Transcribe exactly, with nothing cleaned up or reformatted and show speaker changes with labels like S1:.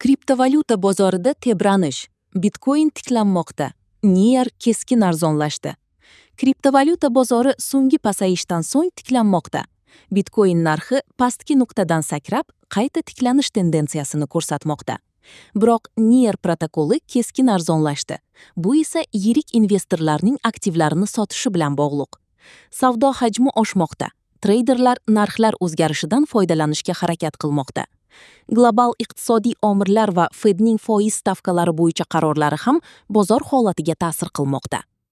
S1: Kriptovalyuta bozorida tebranish. Bitcoin tiklanmoqda. Near keskin arzonlashdi. Kriptovalyuta bozori so'nggi pasayishdan so'ng tiklanmoqda. Bitcoin narxi pastki nuqtadan sakrab, qayta tiklanish tendensiyasini ko'rsatmoqda. Biroq Near protokoli keskin arzonlashdi. Bu esa yirik investorlarning aktivlarini sotishi bilan bog'liq. Savdo hajmi oshmoqda. Treyderlar narxlar o'zgarishidan foydalanishga harakat qilmoqda. Global iqtisodiy omillar va Fedning foiz stavkalari bo'yicha qarorlari ham bozor holatiga ta'sir qilmoqda.